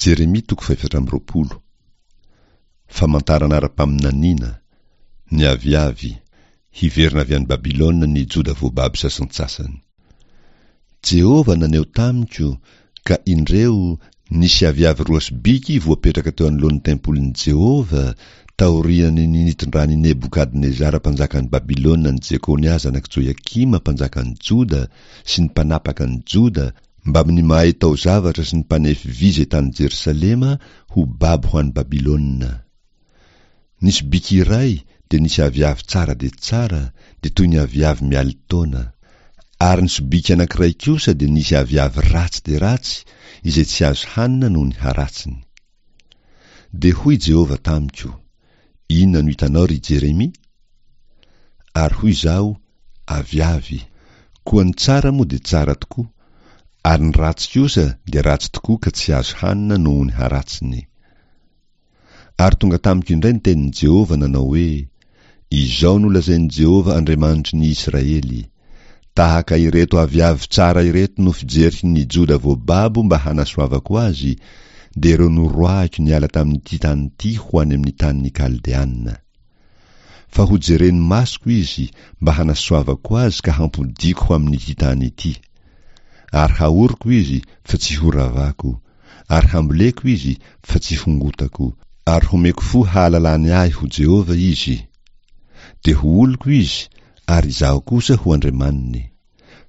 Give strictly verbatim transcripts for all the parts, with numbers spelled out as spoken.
Jeremia toko fahefatra amby roapolo. Famantarana ara-paminaniana, ny aviavy, hiverina avy any Babylona ny Joda voababo sasantsasany. Jehovah naneho tamiko, ka indreo, nisy aviavy roa sobiky voapetraka teo anoloan'ny tempolin'i Jehovah, taorian'ny nitondran'i Nebokadnezara mpanjakan'i Babylona an'i Jekonia zanak'i Joiakima mpanjakan'i Joda sy ny mpanapaka an'i Joda mbamin'ny mahay taozavatra sy ny mpanefy vy izay tany Jerosalema ho babo ho any Babylona. Nisy biky iray dia nisy aviavy tsara dia tsara, dia toy ny aviavy mialin-taona. Ary ny sobiky anankiray kosa dia nisy aviavy ratsy dia ratsy, izay tsy azo hanina noho ny haratsiny. Dia hoy Jehovah tamiko, Inona no hitanao, ry Jeremia? Ary hoy izaho, Aviavy. Koa ny tsara moa dia tsara tokoa, ary ny ratsy kosa dia ratsy tokoa ka tsy azo hanina noho ny haratsiny. Ary tonga tamiko indray ny tenin'i Jehovah nanao hoe, Izao no lazain'i Jehovah Andriamanitry ny Israely, Tahaka ireto aviavy tsara ireto no fijeriko ny Joda voababo mba hanasoavako azy, dia ireo noroahiko niala tamin'ity tany ity ho any amin'ny tanin'ny Kaldeana. Fa hojeren'ny masoko izy mba hanasoavako azy ka hampodiako ho amin'ity tany ity. Ary haoriko izy fa tsy horavako, ary hamboleko izy fa tsy hongotako, ary homeko fo hahalalany ahy ho Jehovah izy. Dia ho oloko izy, ary izaho kosa ho Andriamaniny.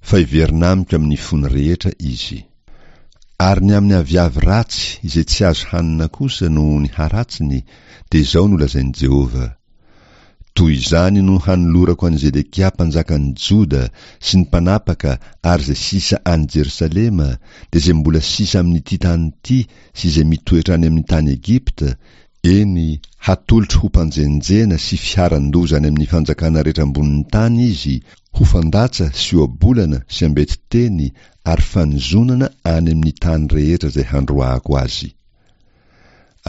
Fa hiverina amiko amin'ny fony rehetra izy. Ary ny amin'ny aviavy ratsy izay tsy azo hanina kosa noho ny haratsiny, dia izao no lazain'i Jehovah, Toy izany no hanolorako an'i Zedekia mpanjakan'ny Joda sy ny mpanapaka ary izay sisa any Jerosalema, dia izay mbola sisa amin'ity tany ity sy izay mitoetra any amin'ny tany Egypta, eny, hatolotro ho mpanjenjena sy fiharan-doza any amin'ny fanjakana rehetra ambonin'ny tany izy, ho fandatsa sy ohabolana sy ambeti-teny ary fanozonana any amin'ny tany rehetra izay handroahako azy.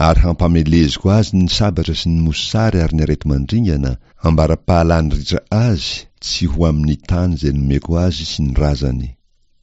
Ary hampameleziko azy ny sabatra sy ny mosary ary ny areti-mandringana, ambara-pahalany ritra azy tsy ho amin'ny tany izay nomeko azy sy ny razany.